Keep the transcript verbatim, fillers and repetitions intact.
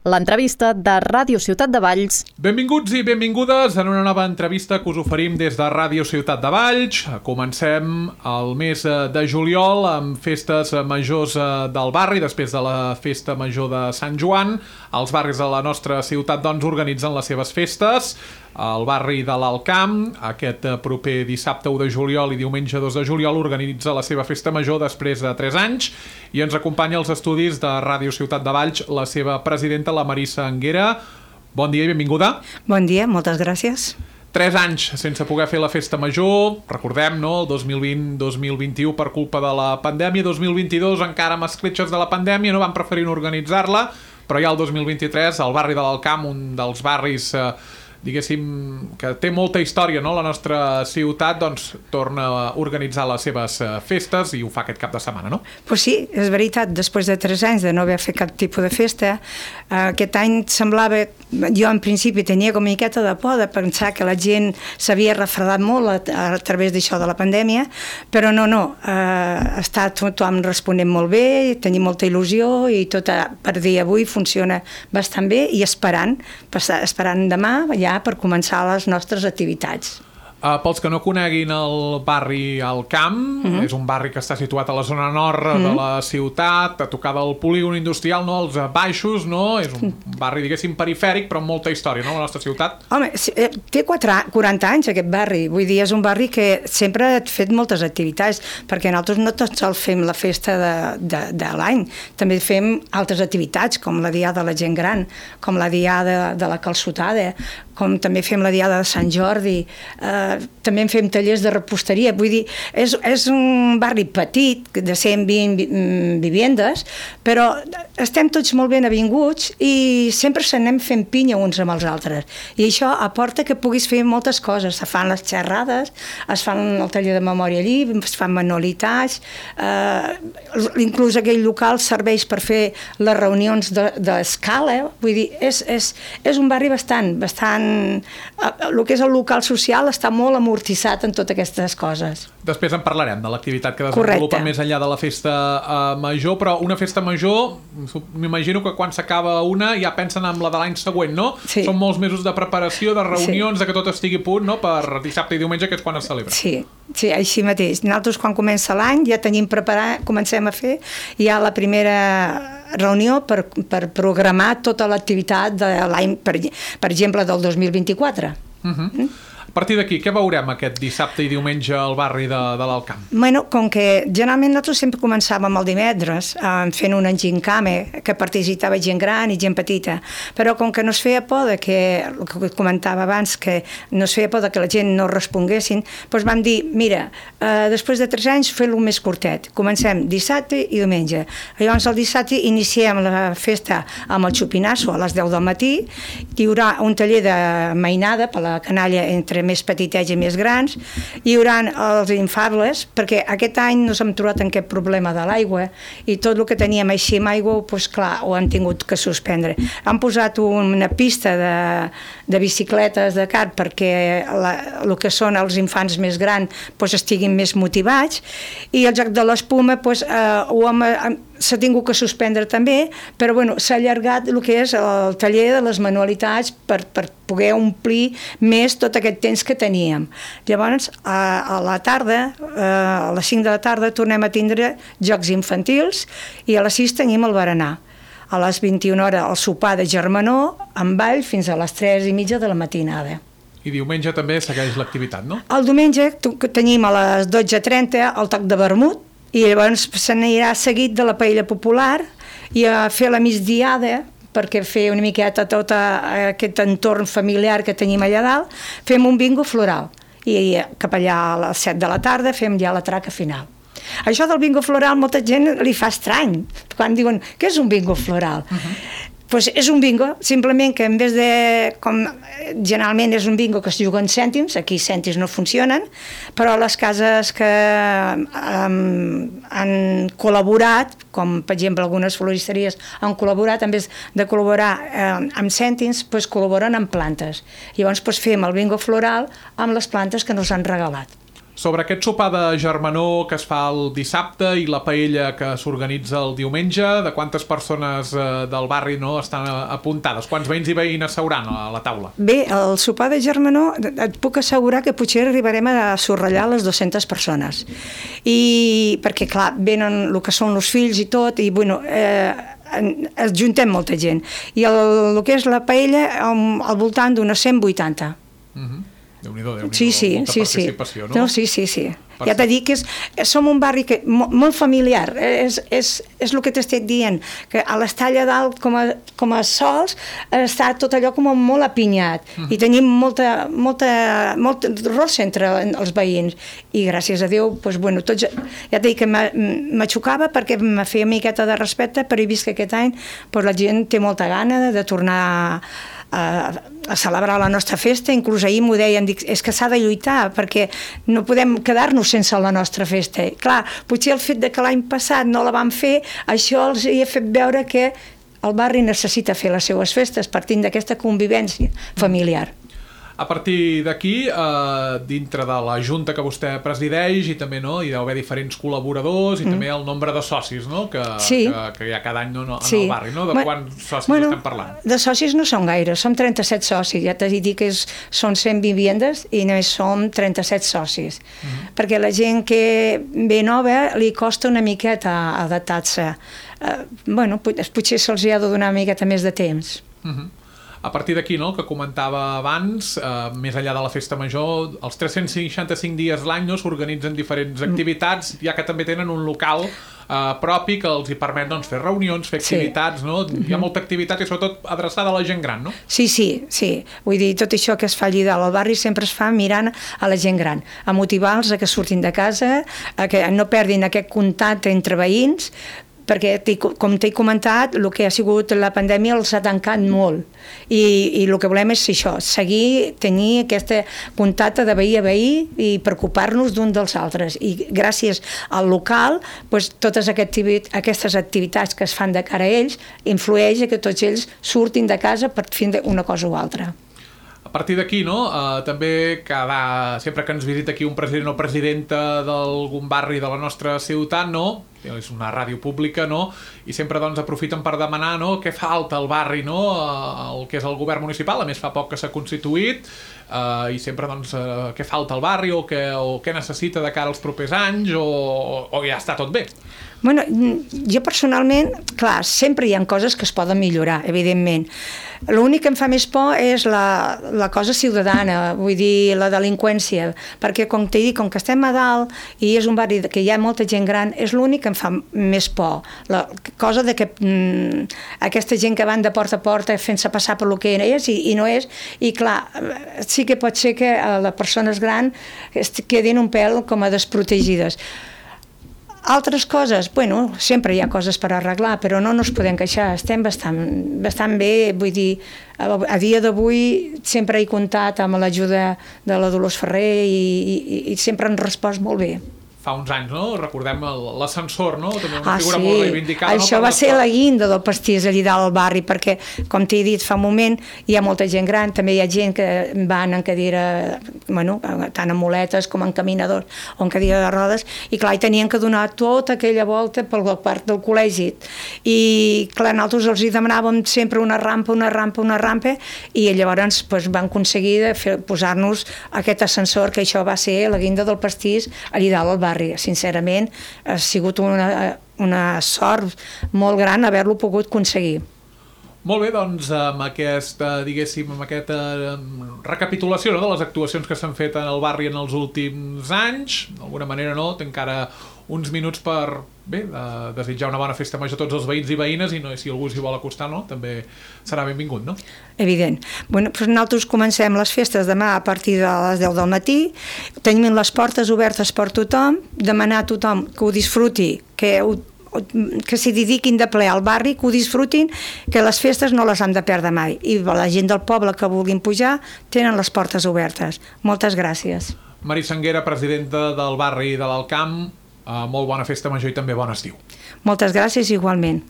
l'entrevista de Ràdio Ciutat de Valls. Benvinguts i benvingudes en una nova entrevista que us oferim des de Ràdio Ciutat de Valls. Comencem el mes de juliol amb festes majors del barri. Després de la festa major de Sant Joan, els barris de la nostra ciutat doncs organitzen les seves festes. El barri de l'Alcamp, aquest proper dissabte u de juliol i diumenge dos de juliol, organitza la seva festa major després de tres anys i ens acompanya als estudis de Ràdio Ciutat de Valls la seva presidenta, la Marissa Anguera. Bon dia i benvinguda. Bon dia, moltes gràcies. Tres anys sense poder fer la festa major, recordem, no? El dos mil vint dos mil vint-i-u per culpa de la pandèmia, dos mil vint-i-dos encara amb escletxes de la pandèmia, no van preferir no organitzar-la, però ja el dos mil vint-i-tres el barri de l'Alcamp, un dels barris eh, diguéssim, que té molta història, no? La nostra ciutat doncs torna a organitzar les seves festes i ho fa aquest cap de setmana, no? Pues sí, és veritat, després de tres anys de no haver fet cap tipus de festa, aquest any semblava, jo en principi tenia com una miqueta de por de pensar que la gent s'havia refredat molt a, a través d'això de la pandèmia, però no, no, eh, està tothom responent molt bé, tenim molta il·lusió i tot a, per dir avui funciona bastant bé i esperant, esperant demà ja per començar les nostres activitats. Uh, pels que no coneguin el barri Alcamp, mm-hmm. és un barri que està situat a la zona nord mm-hmm. de la ciutat, a tocar del polígon industrial, no? Els baixos, no? És un barri, diguéssim, perifèric, però amb molta història, no? La nostra ciutat. Home, té quaranta anys aquest barri, vull dir, és un barri que sempre ha fet moltes activitats, perquè nosaltres no tot sols fem la festa de, de, de l'any, també fem altres activitats, com la diada de la gent gran, com la diada de la calçotada, com també fem la diada de Sant Jordi, eh, també en fem tallers de reposteria, vull dir, és, és un barri petit, de cent vint vivendes, però estem tots molt ben avinguts i sempre se n'anem fent pinya uns amb els altres. I això aporta que puguis fer moltes coses, se fan les xerrades, es fan el taller de memòria allí, es fan manualitats, eh, inclús aquell local serveix per fer les reunions d'escala, de, vull dir, és, és, és un barri bastant, bastant el que és el local social està molt amortitzat en totes aquestes coses. Després en parlarem de l'activitat que desenvolupa més enllà de la festa uh, major, però una festa major, m'imagino que quan s'acaba una ja pensen en la de l'any següent, no? Sí. Són molts mesos de preparació, de reunions, sí. de que tot estigui a punt, no? Per dissabte i diumenge, que és quan es celebra. Sí, sí, així mateix. Nosaltres quan comença l'any ja tenim preparat, comencem a fer ja la primera reunió per, per programar tota l'activitat de l'any, per, per exemple, del dos mil vint-i-quatre. Uh-huh. Mm? A partir d'aquí, què veurem aquest dissabte i diumenge al barri de, de l'Alcamp? Bueno, com que generalment nosaltres sempre començàvem el divendres eh, fent un engincame que participava gent gran i gent petita, però com que no es feia por de que, el que comentava abans, que no es feia por de que la gent no responguessin, doncs vam dir, mira, eh, després de tres anys fem-lo més curtet, comencem dissabte i diumenge. Llavors el dissabte iniciem la festa amb el xupinasso a les deu del matí, hi haurà un taller de mainada per la canalla entre més petitets i més grans, hi haurà els infables, perquè aquest any no s'hem trobat en aquest problema de l'aigua i tot el que teníem així amb aigua, doncs clar, ho han tingut que suspendre. Han posat una pista de, de bicicletes de kart perquè la, el que són els infants més grans doncs estiguin més motivats i el joc de l'espuma doncs, eh, ho hem, s'ha tingut que suspendre també, però bueno, s'ha allargat el que és el taller de les manualitats per, per poder omplir més tot aquest temps que teníem. Llavors, a, a la tarda, a les cinc de la tarda, tornem a tindre jocs infantils i a les sis tenim el berenar. A les vint-i-una hores el sopar de germanor amb ball fins a les tres i mitja de la matinada. I diumenge també segueix l'activitat, no? El diumenge tenim a les dotze trenta el toc de vermut i llavors se n'anirà seguit de la paella popular i a fer la migdiada perquè fer una miqueta tot aquest entorn familiar que tenim allà dalt, fem un bingo floral i cap allà a les set de la tarda fem ja la traca final. Això del bingo floral molta gent li fa estrany quan diuen, què és un bingo floral? Uh-huh. Pues és un bingo, simplement que en vez de, com generalment és un bingo que es juga en cèntims, aquí cèntims no funcionen, però les cases que um, han col·laborat, com per exemple algunes floristeries han col·laborat, en vez de col·laborar um, amb cèntims, pues col·laboren amb plantes. Llavors pues, fem el bingo floral amb les plantes que nos han regalat. Sobre aquest sopar de germanor que es fa el dissabte i la paella que s'organitza el diumenge, de quantes persones eh, del barri no estan apuntades? Quants veïns i veïnes seuran a la taula? Bé, el sopar de germanor et puc assegurar que potser arribarem a sorrellar les dues-centes persones. I perquè, clar, venen el que són els fills i tot, i bueno... Eh, es juntem molta gent. I el, el que és la paella al voltant d'unes cent vuitanta. Mhm. Déu-n'hi-do, Déu-n'hi-do, sí, sí, molta sí, participació, sí. no? No, sí, sí, sí. Per ja t'he dit que és, som un barri que, mo, molt familiar, és, és, és el que t'estic dient, que a l'Estalla dalt, com a, com a sols, està tot allò com molt apinyat, mm. i tenim molta, molta, molt rossa entre els veïns, i gràcies a Déu, doncs, bueno, tots, ja t'he dit que m'aixocava perquè me feia miqueta de respecte, però he vist que aquest any doncs, la gent té molta gana de, de tornar a, a, a celebrar la nostra festa. Inclús ahir m'ho deien, dic, és que s'ha de lluitar perquè no podem quedar-nos sense la nostra festa. I, clar, potser el fet de que l'any passat no la vam fer, això els hi ha fet veure que el barri necessita fer les seues festes partint d'aquesta convivència familiar. A partir d'aquí, eh, dintre de la junta que vostè presideix, i també no, hi deu haver diferents col·laboradors i mm. també el nombre de socis, no?, que, sí. que, que hi ha cada any no, no, en sí. el barri, no? De Ma, quants socis bueno, estem parlant? De socis no són gaire, som trenta-set socis, ja t'he dit que és, són cent vivendes i només som trenta-set socis, mm. perquè la gent que ve nova li costa una miqueta adaptar-se. Uh, bueno, potser se'ls ha de donar una miqueta més de temps. Mhm. A partir d'aquí, no?, que comentava abans, eh, més enllà de la festa major, els tres-cents seixanta-cinc dies l'any no, s'organitzen diferents activitats, ja que també tenen un local eh, propi que els hi permet doncs, fer reunions, fer activitats, sí. no? Hi ha molta activitat i sobretot adreçada a la gent gran, no? Sí, sí, sí. Vull dir, tot això que es fa allí dalt al barri sempre es fa mirant a la gent gran, a motivar-los a que surtin de casa, a que no perdin aquest contacte entre veïns, perquè, com t'he comentat, el que ha sigut la pandèmia els ha tancat molt i, i el que volem és això, seguir, tenir aquest contacte de veí a veí i preocupar-nos d'un dels altres, i gràcies al local, doncs, totes aquestes activitats que es fan de cara a ells influeix a que tots ells surtin de casa per fer una cosa o altra. A partir d'aquí, no, eh, també cada, sempre que ens visita aquí un president o presidenta d'algun barri de la nostra ciutat, no, és una ràdio pública, no, i sempre doncs aprofiten per demanar, no, què falta al barri, no, el que és el govern municipal, a més fa poc que s'ha constituït, eh, i sempre doncs eh, què falta al barri o què, o què necessita de cara als propers anys o, o ja està tot bé. Bueno, jo personalment, clar, sempre hi ha coses que es poden millorar, evidentment. L'únic que em fa més por és la, la cosa ciutadana, vull dir, la delinqüència, perquè com t'he dit, com que estem a dalt i és un barri que hi ha molta gent gran, és l'únic que em fa més por. La cosa de que mm, aquesta gent que van de porta a porta fent-se passar per lo que és i, i no és, i clar, sí que pot ser que les persones grans quedin un pèl com a desprotegides. Altres coses, bueno, sempre hi ha coses per arreglar, però no ens podem queixar, estem bastant, bastant bé, vull dir, a, a dia d'avui sempre he comptat amb l'ajuda de la Dolors Ferrer i, i, i sempre han respost molt bé. Fa uns anys, no? Recordem l'ascensor, no? També una ah, figura sí. molt reivindicada. Això no? va ser la guinda del pastís allà dalt al barri, perquè, com t'he dit fa un moment, hi ha molta gent gran, també hi ha gent que van en cadira, bueno, tant en muletes com en caminadors o en cadira de rodes, i clar, hi tenien que donar tota aquella volta per la part del col·legi. I clar, nosaltres els hi demanàvem sempre una rampa, una rampa, una rampa, i llavors pues, van aconseguir posar-nos aquest ascensor, que això va ser la guinda del pastís allà dalt al barri. Sincerament, ha sigut una, una sort molt gran haver-lo pogut aconseguir. Molt bé, doncs amb aquesta, diguéssim, amb aquesta recapitulació, no?, de les actuacions que s'han fet en el barri en els últims anys, d'alguna manera, no?, té encara uns minuts per, bé, de desitjar una bona festa major a tots els veïns i veïnes, i no, si algú s'hi vol acostar, no?, també serà benvingut, no? Evident. Bueno, doncs nosaltres comencem les festes demà a partir de les deu del matí, tenim les portes obertes per tothom, demanar a tothom que ho disfruti, que ho que s'hi dediquin de ple al barri, que ho disfrutin, que les festes no les han de perdre mai, i la gent del poble que vulguin pujar tenen les portes obertes. Moltes gràcies. Mari Sanguera, presidenta del barri de l'Alt Camp, molt bona festa major i també bon estiu. Moltes gràcies igualment.